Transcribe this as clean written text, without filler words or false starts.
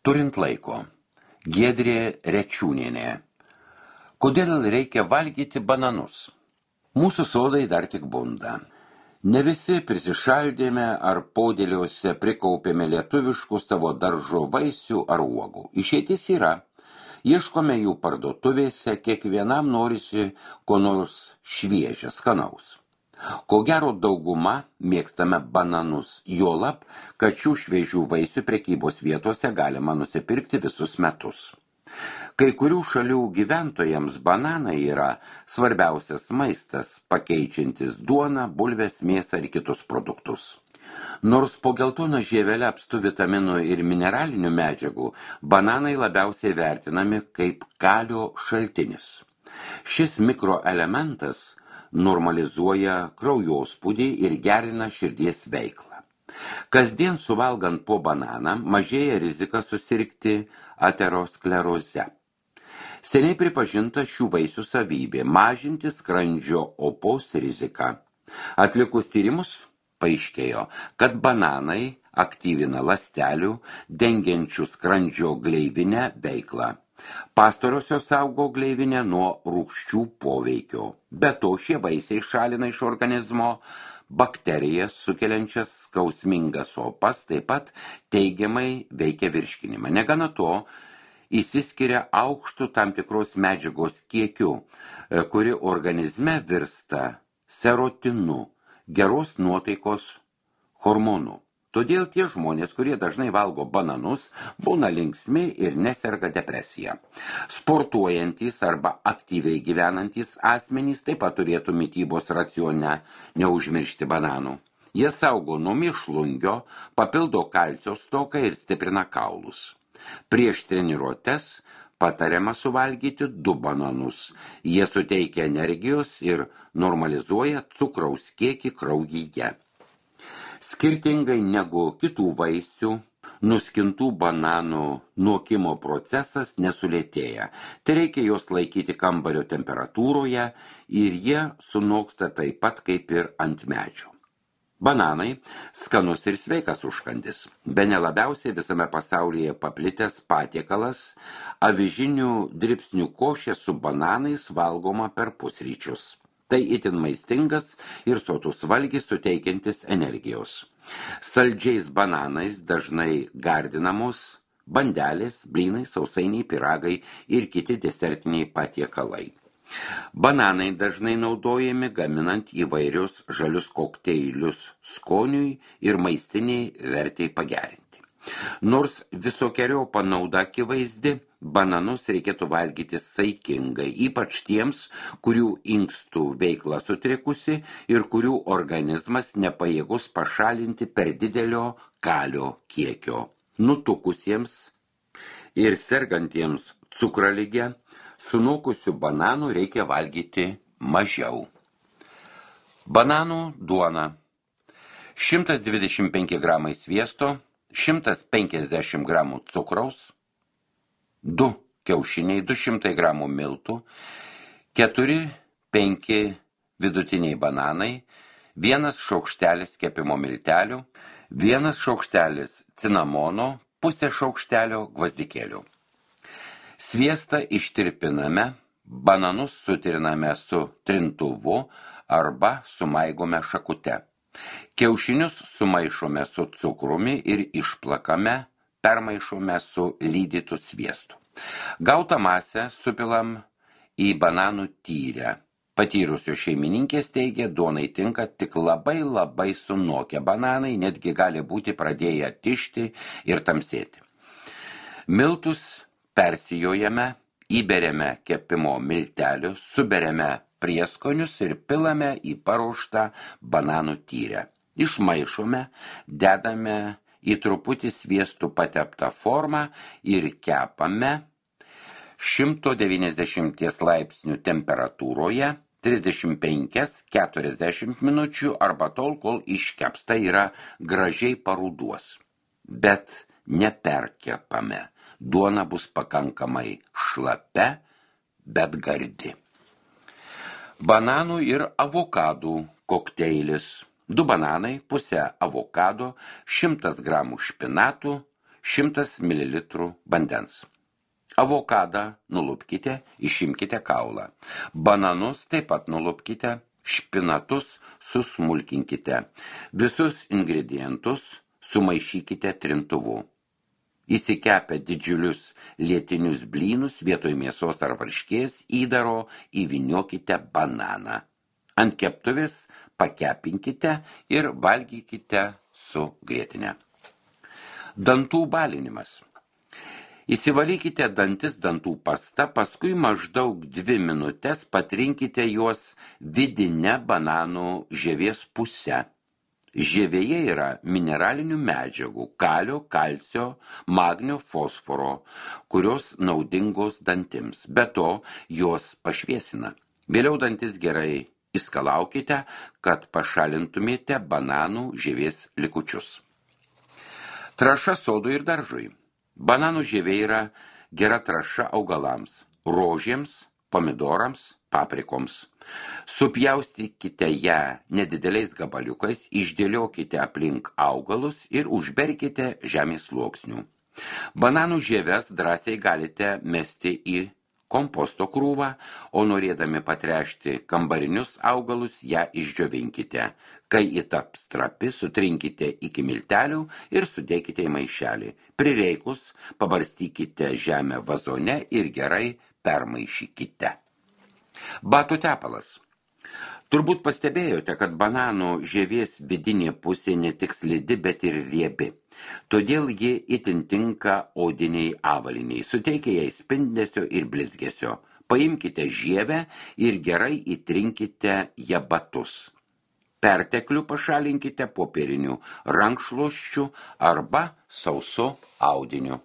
Turint laiko. Giedrė Rečiūnienė. Kodėl reikia valgyti bananus? Mūsų sodai dar tik bunda. Ne visi prisišaldėme ar podėliuose prikaupėme lietuviškų savo daržo vaisių ar uogų. Išeitis yra. Ieškome jų parduotuvėse, kiekvienam norisi ko nors šviežia, skanaus. Ko gero dauguma mėgstame bananus, juolab, kad šių šviežių vaisių prekybos vietose galima nusipirkti visus metus. Kai kurių šalių gyventojams bananai yra svarbiausias maistas, pakeičiantis duoną, bulves, mėsą ir kitus produktus. Nors po geltoną žievelę apstu vitaminų ir mineralinių medžiagų, bananai labiausiai vertinami kaip kalio šaltinis. Šis mikroelementas normalizuoja kraujospūdį ir gerina širdies veiklą. Kasdien suvalgant po bananą mažėja rizika susirgti ateroskleroze. Seniai pripažinta šių vaisių savybė mažinti skrandžio opos riziką. Atlikus tyrimus paaiškėjo, kad bananai aktyvina ląstelių dengiančių skrandžio gleivinę veiklą. Pastarosios saugo gleivinę nuo rūgščių poveikio. Be to šie vaisiai šalina iš organizmo bakterijas sukeliančias skausmingas opas, taip pat teigiamai veikia virškinimą. Negana to, išsiskiria aukštų tam tikros medžiagos kiekiu, kuri organizme virsta serotinu, geros nuotaikos hormonų. Todėl tie žmonės, kurie dažnai valgo bananus, būna linksmi ir neserga depresija. Sportuojantys arba aktyviai gyvenantys asmenys taip pat turėtų mitybos racione neužmiršti bananų. Jie saugo nuo mėšlungio, papildo kalcio stoką ir stiprina kaulus. Prieš treniruotes patariama suvalgyti 2 bananus. Jie suteikia energijos ir normalizuoja cukraus kiekį kraujyje. Skirtingai negu kitų vaisių, nuskintų bananų nuokimo procesas nesulėtėja. Tai reikia juos laikyti kambario temperatūroje ir jie sunoksta taip pat kaip ir ant medžio. Bananai skanus ir sveikas užkandis. Bene labiausiai visame pasaulyje paplitęs patiekalas avižinių dribsnių košė su bananais valgoma per pusryčius. Tai itin maistingas ir sotus valgis suteikiantis energijos. Saldžiais bananais dažnai gardinamos bandelės, blynai, sausainiai, pyragai ir kiti desertiniai patiekalai. Bananai dažnai naudojami gaminant įvairius žalius kokteilius skoniui ir maistiniai vertei pagerinti. Nors visokeriopą naudą akivaizdi, bananus reikėtų valgyti saikingai, ypač tiems, kurių inkstų veikla sutrikusi ir kurių organizmas nepajėgus pašalinti per didelio kalio kiekio. Nutukusiems ir sergantiems cukralige sunokusių bananų reikia valgyti mažiau. Bananų duona. 125 gramai sviesto, 150 gramų cukraus, 2 kiaušiniai, 200 gramų miltų, 4-5 vidutiniai bananai, 1 šaukštelis kepimo miltelių, 1 šaukštelis cinamono, pusė šaukštelio gvazdikėlių. Sviestą ištirpiname, bananus sutriname su trintuvu arba sumaigome šakute. Kiaušinius sumaišome su cukrumi ir išplakame, permaišome su lydytu sviestu. Gautą masę supilam į bananų tyrę. Patyrusios šeimininkės teigia, duonai tinka tik labai sunokę bananai, netgi gali būti pradėję tišti ir tamsėti. Miltus persijojame, įberiame kepimo miltelius, suberiame prieskonius ir pilame į paruoštą bananų tyrę. Išmaišome, dedame į truputį sviestų pateptą formą ir kepame 190 laipsnių temperatūroje 35-40 minučių arba tol, kol iškepsta yra gražiai paruduos. Bet neperkepame. Duona bus pakankamai šlapia, bet gardi. Bananų ir avokadų kokteilis. 2 bananai, pusę avokado, 100 gramų špinatų, 100 ml vandens. Avokadą nulupkite, išimkite kaulą. Bananus taip pat nulupkite, špinatus susmulkinkite. Visus ingredientus sumaišykite trintuvu. Įsikepę didžiulius lietinius blynus vietoj mėsos ar varškės įdaro įvyniokite bananą. Ant keptuvės pakepinkite ir valgykite su grietinė. Dantų balinimas. Įsivalykite dantis dantų pasta, paskui maždaug 2 minutės patrinkite juos vidinę bananų žievės pusę. Žievėje yra mineralinių medžiagų, kalio, kalcio, magnio, fosforo, kurios naudingos dantims. Be to, jos pašviesina. Vėliau dantis gerai išskalaukite, kad pašalintumėte bananų žievės likučius. Trąša sodui ir daržui. Bananų žievė yra gera trąša augalams, rožėms, pomidorams, paprikoms. Supjaustykite ją nedideliais gabaliukais, išdėliokite aplink augalus ir užberkite žemės sluoksnių. Bananų žieves drąsiai galite mesti į komposto krūvą, o norėdami patręšti kambarinius augalus, ją išdžiovinkite. Kai įtaps trapi, sutrinkite iki miltelių ir sudėkite į maišelį. Prireikus, pabarstykite žemę vazone ir gerai permaišykite. Batų tepalas. Turbūt pastebėjote, kad bananų žievės vidinė pusė ne tik slidi, bet ir riebi. Todėl ji itin tinka odiniai avaliniai, suteikia jai spindesio ir blizgesio. Paimkite žievę ir gerai įtrinkite ją batus. Perteklių pašalinkite popieriniu rankšluosčiu arba sausu audiniu.